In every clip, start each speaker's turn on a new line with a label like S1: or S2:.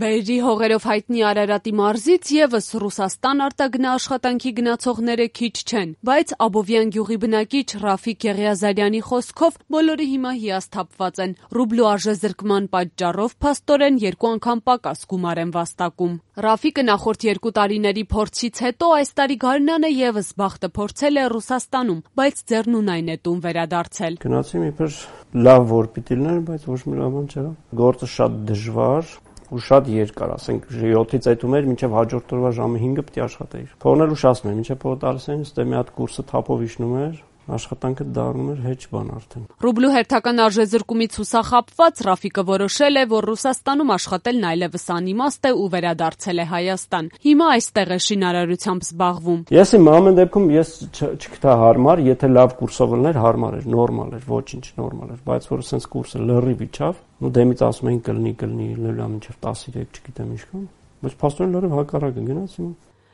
S1: Բերրի հողերով հայտնի Արարատի մարզից եւս Ռուսաստան արտագնաաշխատանքի գնացողները քիչ չեն, բայց Աբովյան գյուղի բնակիչ Ռաֆիկ Եղիազարյանի խոսքով բոլորը հիմա հիասթափված են։ Ռուբլու արժեզրկման պատճառով փաստորեն 2 անգամ պակաս գումար են վաստակում։ Ռաֆիկը նախորդ 2 տարիների փորձից հետո այս տարի գարնանը եւս բախտը փորձել է Ռուսաստանում, բայց ձեռնունայն է տուն վերադարձել։
S2: Գնացի իբր լավ որ պիտի լիներ, բայց ոչ մի լավ բան չեղավ։ Գործը շատ դժվար ու շատ երկար, ասենք 7-ից այդում էր, մինչև հաջորդ օրվա ժամը 5-ը պիտի աշխատեիր։ Փողն էլ ուշացնում էր, մինչև փողը տալիս էին, ստե մի հատ կուրսը թափով իջնում էր, աշխատանքը դառնում էր հեչ բան արդեն։
S1: Ռուբլու հերթական արժեզրկումից հուսախաբված Ռաֆիկը որոշել է, որ Ռուսաստանում աշխատելն այլևս անիմաստ է ու վերադարձել է Հայաստան։ Հիմա այստեղ է շինարարությամբ զբաղվում։
S2: Ես իմ ամեն դեպքում ես չգտա հարմար, եթե լավ կուրսով լիներ, հարմար էր, նորմալ էր, ոչինչ նորմալ էր, բայց որ sense կուրսը լրիվ իջավ, ու դեմից ասում էին կլինի, լոլա մինչև 13, չգիտեմ ինչքան, բայց փաստորեն լրիվ հակառակը գնաց հիմա։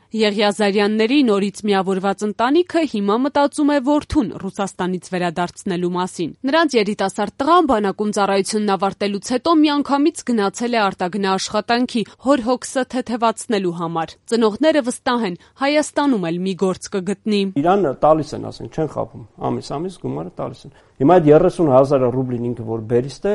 S1: Եղիազարյանների նորից միավորված ընտանիքը հիմա մտածում է որդուն Ռուսաստանից վերադարձնելու մասին։ Նրանց երիտասարդ տղան բանակում ծառայությունն ավարտելուց հետո միանգամից գնացել է արտագնաաշխատանքի հոր հոգսը թեթևացնելու համար։ Ծնողները վստահ են, Հայաստանում էլ մի գործ կգտնի։
S2: Իրան տալիս են, ասենք, չեն խաբում։ Ամիս գումարը տալիս են։ Հիմա այդ 30,000 ռուբլին ինքը որ բերիստ է,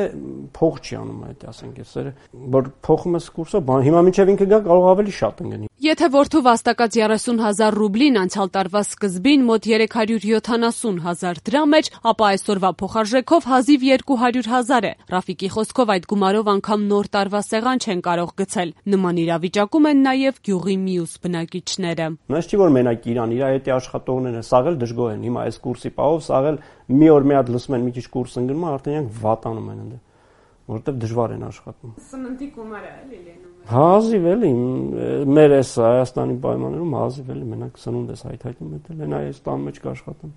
S2: փող չի անում այդ, ասենք, էսերը, որ փոխում ես կուրսով, հիմա մինչև ինքը գա կարող ավելի շատ ընկնի։
S1: Եթե որդու վաստակած 30,000 ռուբլին անցյալ տարվա սկզբին մոտ 370,000 դրամ էր, ապա այսօրվա փոխարժեքով հազիվ 200,000 է։ Ռաֆիկի խոսքով այդ գումարով անգամ նոր տարվա սեղան չեն կարող գցել։ Նման իրավիճակում են նաև գյուղի մյուս բնակիչները։
S2: Նույնիսկ չի որ մենակ իրան, իր հետի աշխատողներն սաղ էլ դժգոհ են։ Հիմա այս կուրսի պահով սաղ էլ մի օր մի հատ լսում են մի քիչ կուրս ընկնում, արդեն իրանք վատանում են ընդ, որովհետև դժվար են աշխատում։
S1: Սննդի գումարը էլի լինում է։
S2: Հազիվ էլի, մեր այս Հայաստանի պայմաններում հազիվ էլի մենակ սնունդ ես հայթայթում էտել, են այս տան մեջ կաշխատում։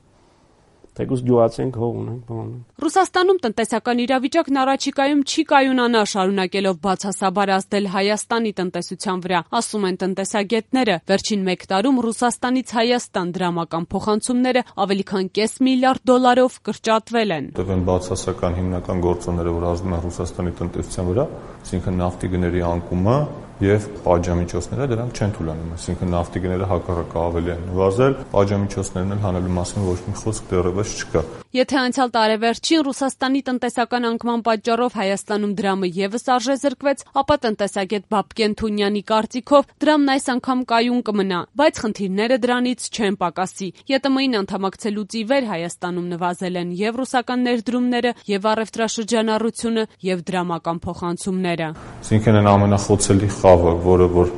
S2: Թեկուզ գյուղացիենք հող ունենք, բան։
S1: Ռուսաստանում տնտեսական իրավիճակն առաջիկայում չի կայունանա, շարունակելով բացասաբար ազդել Հայաստանի տնտեսության վրա, ասում են տնտեսագետները։ Վերջին 1 տարում Ռուսաստանից Հայաստան դրամական փոխանցումները ավելի քան $500 միլիարդ կրճատվել են։
S3: Տվեն բացասական հիմնական գործոնները, որ ազդում են Ռուսաստանի տնտեսության վրա, այսինքն նավթի գների անկումը եւ պատժամիջոցները դրանք չեն թույլատրում, այսինքն նավթի գները հակառակը ավելի են նվազել, պատժամիջոցներն էլ հանելու մասին ոչ մի խոսք դեռևս չկա։
S1: Եթե անցյալ տարեվերջին Ռուսաստանի տնտեսական անկման պատճառով Հայաստանում դրամը եւս արժեզրկվեց, ապա տնտեսագետ Բաբկեն Թունյանի կարծիքով դրամն այս անգամ կայուն կմնա, բայց խնդիրները դրանից չեն պակասի։ ԵՏՄ-ին անդամակցելուց ի վեր Հայաստանում նվազել են եւ ռուսական ներդրումները, եւ առևտրաշրջանառությունը, եւ դրամական փոխանցումները։
S3: Այսինքն այն ամենախոցելի խավը, որը որ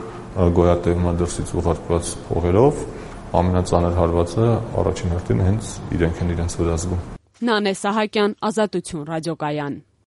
S3: գոյատևում է դրսից ուղարկված փողերով, ամենածանր հարվածը առաջին հերթին հենց իրենք են իրենց վրա զգում։
S1: Նանե Սահակյան, Ազատություն ռադիոկայան։